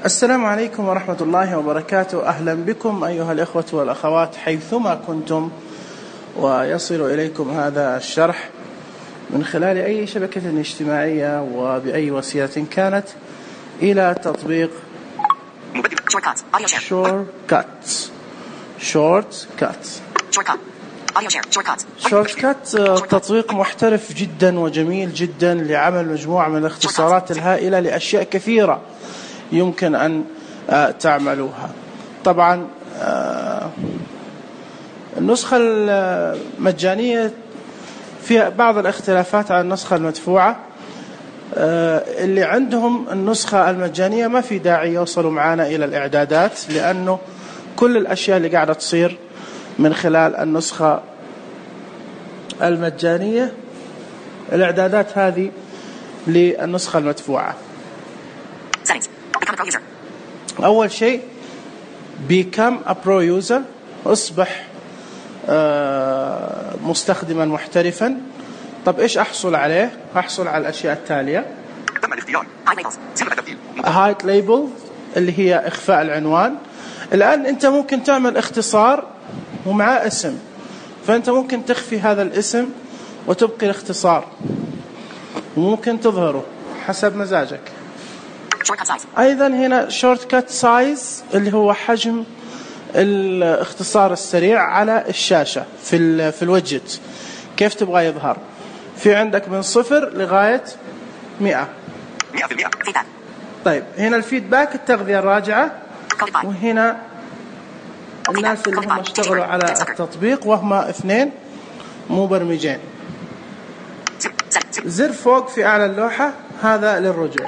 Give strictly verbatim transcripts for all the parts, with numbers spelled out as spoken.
السلام عليكم ورحمة الله وبركاته. أهلا بكم أيها الإخوة والأخوات حيثما كنتم ويصل إليكم هذا الشرح من خلال أي شبكة اجتماعية وبأي وسيلة كانت إلى تطبيق شورتكات. شورتكات شورتكات تطبيق محترف جدا وجميل جدا لعمل مجموعة من الاختصارات الهائلة لأشياء كثيرة يمكن أن تعملوها. طبعا النسخة المجانية فيها بعض الاختلافات عن النسخة المدفوعة. اللي عندهم النسخة المجانية ما في داعي يوصلوا معنا إلى الإعدادات، لأنه كل الأشياء اللي قاعدة تصير من خلال النسخة المجانية الإعدادات هذه للنسخة المدفوعة. أول شيء become a pro user، أصبح مستخدما محترفا. طب إيش أحصل عليه؟ أحصل على الأشياء التالية: hide label اللي هي إخفاء العنوان. الآن أنت ممكن تعمل اختصار ومعاه اسم، فأنت ممكن تخفي هذا الاسم وتبقي الاختصار، وممكن تظهره حسب مزاجك. أيضا هنا shortcut size اللي هو حجم الاختصار السريع على الشاشة في ال في الوجت، كيف تبغى يظهر. في عندك من صفر لغاية مئة. طيب هنا الفيدباك التغذية الراجعة، وهنا الناس اللي هم اشتغلوا على التطبيق وهم اثنين مبرمجين. زر فوق في أعلى اللوحة هذا للرجوع.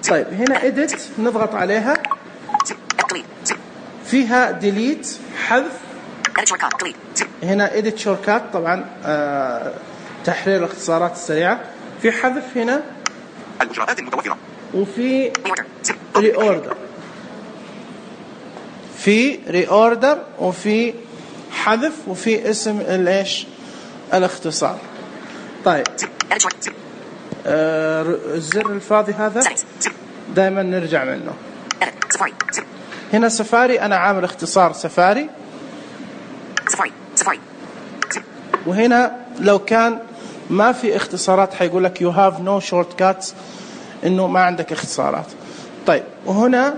طيب هنا edit نضغط عليها، فيها delete حذف. هنا edit shortcut طبعا آه تحرير الاختصارات السريعة. في حذف هنا الإجراءات المتوفرة، وفي reorder، في reorder وفي حذف وفي اسم الايش الاختصار. طيب آه الزر الفاضي هذا دائما نرجع منه. هنا سفاري، أنا عامل اختصار سفاري. وهنا لو كان ما في اختصارات حيقول لك you have no shortcuts، إنه ما عندك اختصارات. طيب وهنا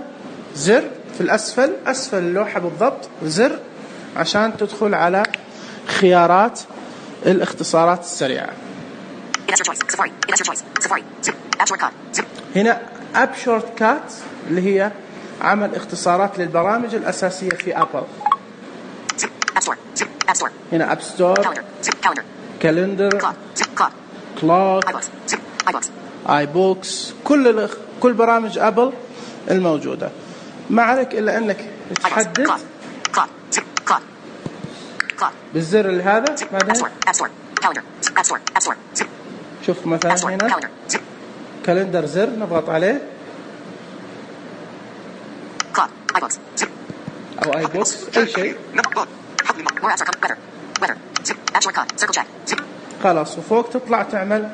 زر في الأسفل أسفل اللوحة بالضبط، زر عشان تدخل على خيارات الاختصارات السريعة. هنا App Shortcut اللي هي عمل اختصارات للبرامج الأساسية في أبل. هنا App Store، Calendar، Clock، iBooks، كل كل برامج أبل الموجودة. ما عليك إلا أنك تحدد بالزر اللي هذا. بعدين شوف مثلا هنا كالندر، زر نضغط عليه، أو اي بوكس أي شيء خلاص. وفوق تطلع تعمل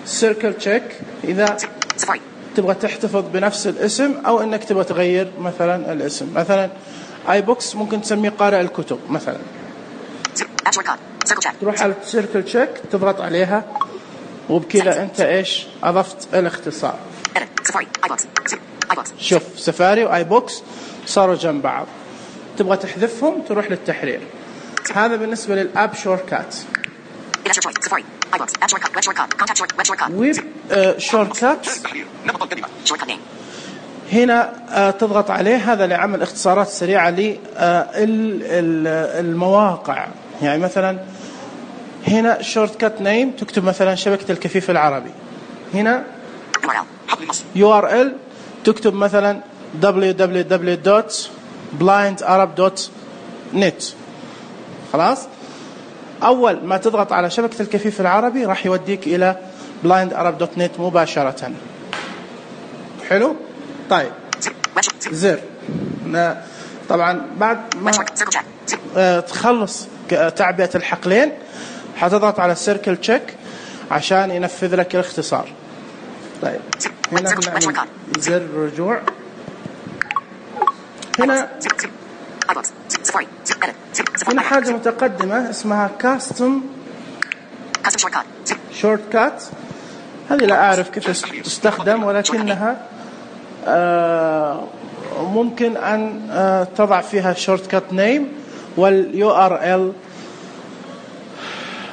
سيركل تشيك إذا تبغى تحتفظ بنفس الاسم أو إنك تبغى تغير مثلا الاسم. مثلا اي بوكس ممكن تسميه قارئ الكتب مثلا. تروح على السيركل تشيك تضغط عليها، وبكذا أنت إيش أضفت الاختصار. شوف سفاري وآي بوكس صاروا جنب بعض. تبغى تحذفهم تروح للتحرير. هذا بالنسبة للآب شورتكات. ويب شورتكات هنا تضغط عليه، هذا لعمل اختصارات سريعة للمواقع. يعني مثلا هنا شورتكات نيم تكتب مثلا شبكة الكفيف العربي. هنا يو آر إل تكتب مثلا دبليو دبليو دبليو دوت بلايند أرب دوت نت. خلاص، أول ما تضغط على شبكة الكفيف العربي راح يوديك إلى بلايند أرب دوت نت مباشرة. حلو. طيب زر طبعا بعد ما تخلص تعبئة الحقلين حتضغط على السيركل تشيك عشان ينفذ لك الاختصار. طيب هنا نعمل زر رجوع. هنا هنا حاجة متقدمة اسمها كاستم شورت كات. هذه لا أعرف كيف تستخدم، ولكنها آه ممكن أن آه تضع فيها شورت كات نيم واليو ار ال،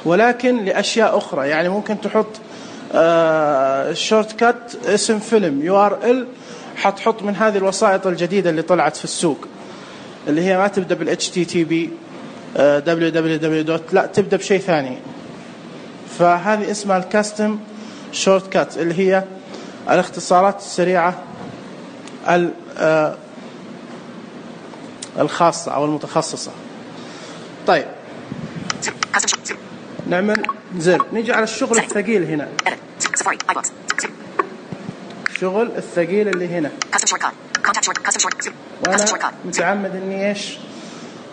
ولكن لأشياء أخرى. يعني ممكن تحط آه شورت كات اسم فيلم، يو ار ال حتحط من هذه الوسائط الجديدة اللي طلعت في السوق، اللي هي ما تبدأ بال إتش تي تي بي دبليو دبليو دبليو دوت، لا تبدأ بشيء ثاني. فهذه اسمها الكاستم شورت كات، اللي هي الاختصارات السريعة الخاصة أو المتخصصة. طيب نعمل زر، نيجي على الشغل الثقيل هنا، الشغل الثقيل اللي هنا، وأنا متعمد إني إيش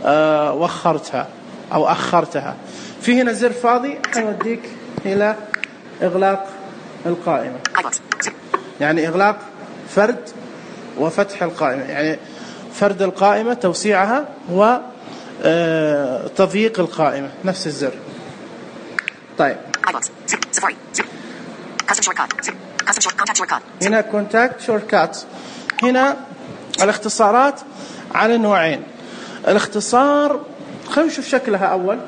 آه وخرتها أو أخرتها. في هنا زر فاضي حيوديك إلى إغلاق القائمة، يعني إغلاق فرد وفتح القائمة، يعني فرد القائمة توسيعها وتضييق القائمة، نفس الزر. طيب هنا كونتاكت شورت كات. هنا الاختصارات على نوعين. الاختصار خلينا نشوف شكلها أول.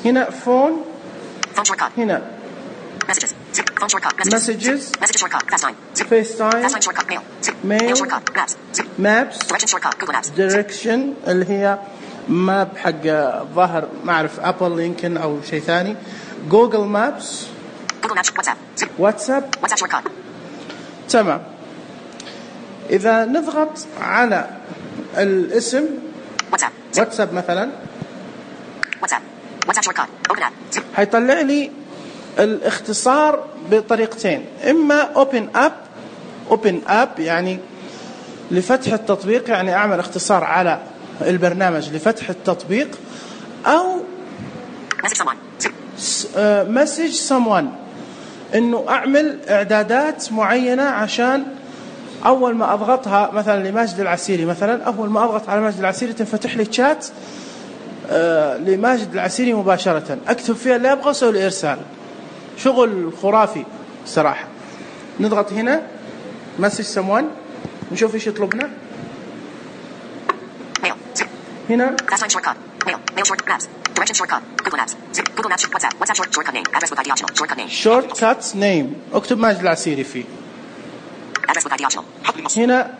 هنا فون، هنا messages, FaceTime, mail, maps, direction اللي هي ماب حق ظهر ما أعرف أبل يمكن أو شيء ثاني، جوجل مابس، واتساب. تمام. إذا نضغط على الاسم واتساب مثلا هيطلع لي الاختصار بطريقتين، إما open up open up يعني لفتح التطبيق، يعني أعمل اختصار على البرنامج لفتح التطبيق، أو message someone إنه أعمل إعدادات معينة عشان أول ما أضغطها مثلا لماجد العسيري، مثلا أول ما أضغط على ماجد العسيري تنفتح لي شات آه لماجد العسيري مباشرة، أكتب فيها اللي أبغى أسوي الإرسال. شغل خرافي صراحة. نضغط هنا message someone نشوف إيش يطلبنا. هنا short cuts name، اكتب ماجد العسيري فيه. هنا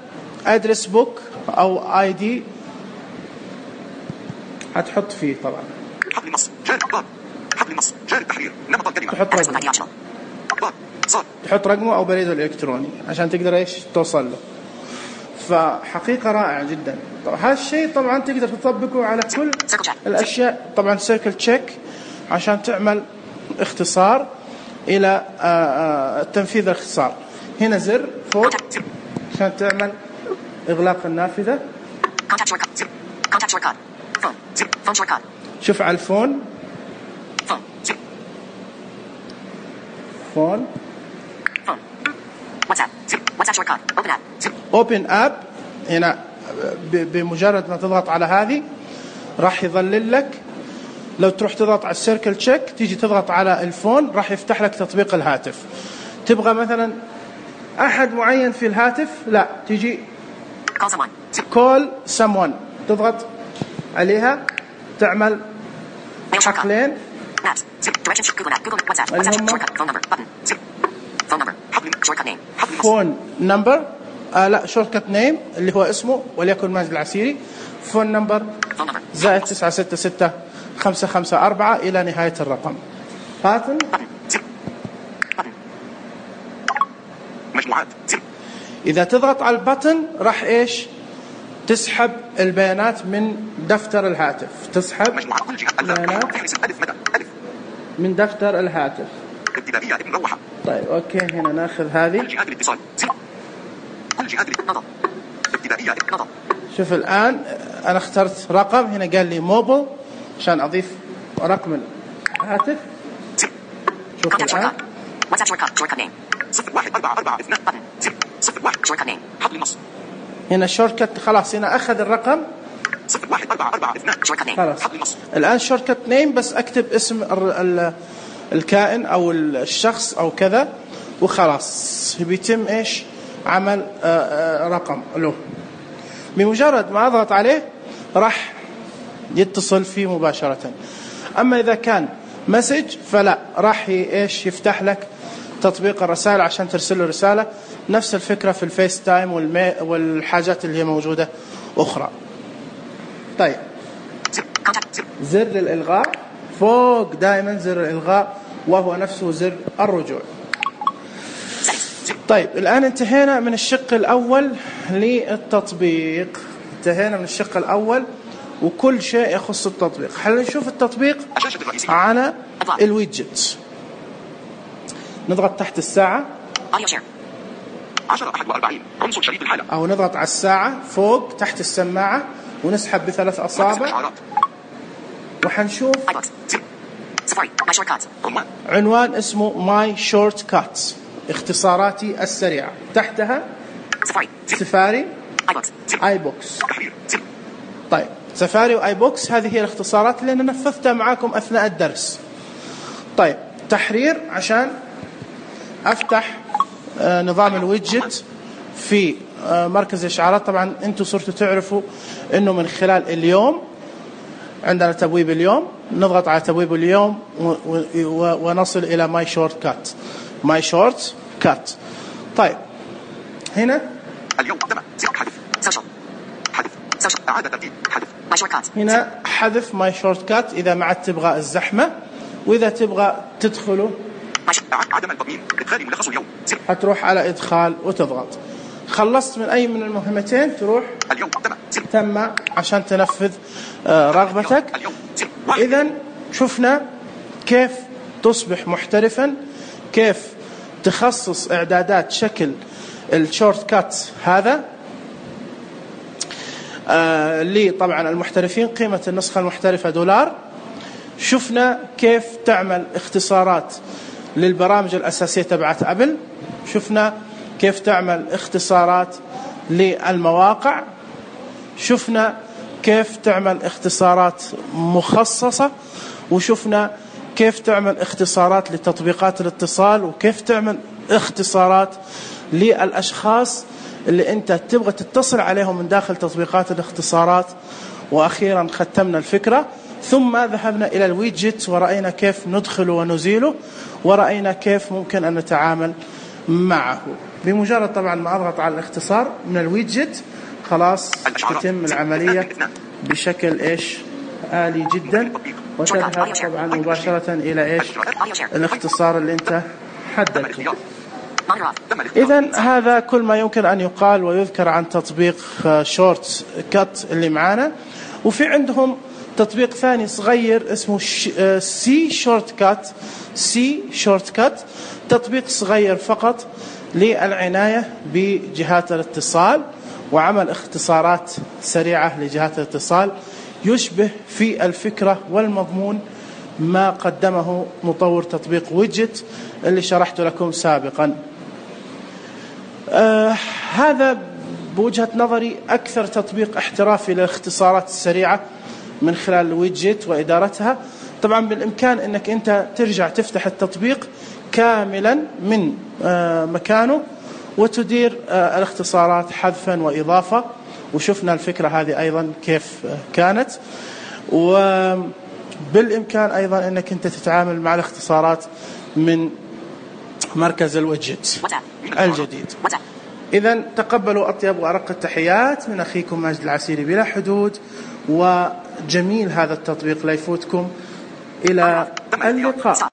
address book أو آي دي هتحط فيه طبعا. حبل النص جار أخبار، حبل النص جار التحرير، نمط الكلمة، تحط رقمه، تحط رقمه أو بريده الإلكتروني عشان تقدر إيش توصل له. فحقيقة رائعة جدا. طبعا هذا الشيء طبعا تقدر تطبقه على كل الأشياء. طبعا سيركل تشيك عشان تعمل اختصار إلى تنفيذ الاختصار. هنا زر فوق عشان تعمل إغلاق النافذة. شوف على الفون، فون Open App. هنا بمجرد ما تضغط على هذه راح يظلل لك. لو تروح تضغط على السيركل تشيك تيجي تضغط على الفون راح يفتح لك تطبيق الهاتف. تبغى مثلا أحد معين في الهاتف، لا تيجي call someone تضغط عليها تعمل حقلين فون نمبر آه لا شورت كات نيم اللي هو اسمه وليكن ماجد العسيري، فون نمبر زائد تسعة ستة ستة خمسة خمسة أربعة إلى نهاية الرقم. باتن مجموعات. إذا تضغط على الباتن راح إيش تسحب البيانات من دفتر الهاتف، تسحب بيانات من دفتر الهاتف. طيب أوكي هنا ناخذ هذه. شوف الآن أنا اخترت رقم، هنا قال لي موبل عشان أضيف رقم الهاتف. شوف الآن صفر واحد أربعة أربعة اثنان صفر واحد شورت نيم حبل النص. هنا شورت كت خلاص، هنا أخذ الرقم صفر واحد أربعة أربعة اثنان شورت نيم خلاص. حبل النص. الآن شورت كت نيم بس أكتب اسم ال ال الكائن أو الشخص أو كذا وخلاص بيتم إيش عمل آآ آآ رقم له. بمجرد ما أضغط عليه راح يتصل فيه مباشرة. أما إذا كان مسج فلا، راح إيش يفتح لك تطبيق الرسائل عشان ترسل له رسالة. نفس الفكرة في الفيس تايم والحاجات اللي هي موجودة أخرى. طيب زر الإلغاء فوق دائما زر الإلغاء وهو نفسه زر الرجوع. طيب الآن انتهينا من الشق الأول للتطبيق، انتهينا من الشق الأول وكل شيء يخص التطبيق. خلينا نشوف التطبيق على الويدجت. نضغط تحت الساعة عشرة أحد وأربعين عنصر شريط الحالة، أو نضغط على الساعة فوق تحت السماعة ونسحب بثلاث أصابع وحنشوف عنوان اسمه ماي شورت كاتس، اختصاراتي السريعة. تحتها سفاري اي بوكس. طيب سفاري واي بوكس هذه هي الاختصارات اللي أنا نفذتها معاكم أثناء الدرس. طيب تحرير عشان أفتح آه نظام الويدجت في آه مركز الإشعارات. طبعا أنتم صرتوا تعرفوا أنه من خلال اليوم عندنا تبويب اليوم، نضغط على تبويب اليوم ونصل إلى ماي شورت كات. ماي شورت كات. طيب هنا اليوم تم حذف سوشيال حذف سوشيال إعادة ترتيب حذف ماي شورت كات. هنا حذف ماي شورت كات إذا ما عاد تبغى الزحمة، وإذا تبغى تدخله عدم التضمين إدخال ملخص اليوم هتروح على إدخال وتضغط. خلصت من أي من المهمتين تروح اليوم تم تم عشان تنفذ آه رغبتك. إذن شفنا كيف تصبح محترفا، كيف تخصص إعدادات شكل الشورت كات هذا آه اللي طبعا المحترفين قيمة النسخة المحترفة دولار. شفنا كيف تعمل اختصارات للبرامج الأساسية تبعت أبل. شفنا كيف تعمل اختصارات للمواقع. شفنا كيف تعمل اختصارات مخصصة. وشفنا كيف تعمل اختصارات لتطبيقات الاتصال، وكيف تعمل اختصارات للأشخاص اللي أنت تبغى تتصل عليهم من داخل تطبيقات الاختصارات. وأخيرا ختمنا الفكرة، ثم ذهبنا إلى الويدجت ورأينا كيف ندخله ونزيله، ورأينا كيف ممكن أن نتعامل معه. بمجرد طبعا ما أضغط على الاختصار من الويدجت خلاص تتم العملية بشكل إيش آلي جدا، وتذهب طبعا مباشرة إلى إيش الاختصار اللي أنت حددته. إذن هذا كل ما يمكن أن يقال ويذكر عن تطبيق شورت كات اللي معانا. وفي عندهم تطبيق ثاني صغير اسمه سي شورت كات. سي شورت كات تطبيق صغير فقط للعناية بجهات الاتصال وعمل اختصارات سريعة لجهات الاتصال، يشبه في الفكرة والمضمون ما قدمه مطور تطبيق ويدجت اللي شرحت لكم سابقا. آه هذا بوجهة نظري أكثر تطبيق احترافي للاختصارات السريعة من خلال الويدجت وإدارتها. طبعا بالإمكان أنك أنت ترجع تفتح التطبيق كاملا من آه مكانه وتدير آه الاختصارات حذفا وإضافة. وشفنا الفكرة هذه أيضا كيف كانت. وبالإمكان أيضا أنك أنت تتعامل مع الاختصارات من مركز الويدجت الجديد. إذن تقبلوا أطيب وأرق التحيات من أخيكم ماجد العسيري بلا حدود، وجميل هذا التطبيق لا يفوتكم. إلى اللقاء.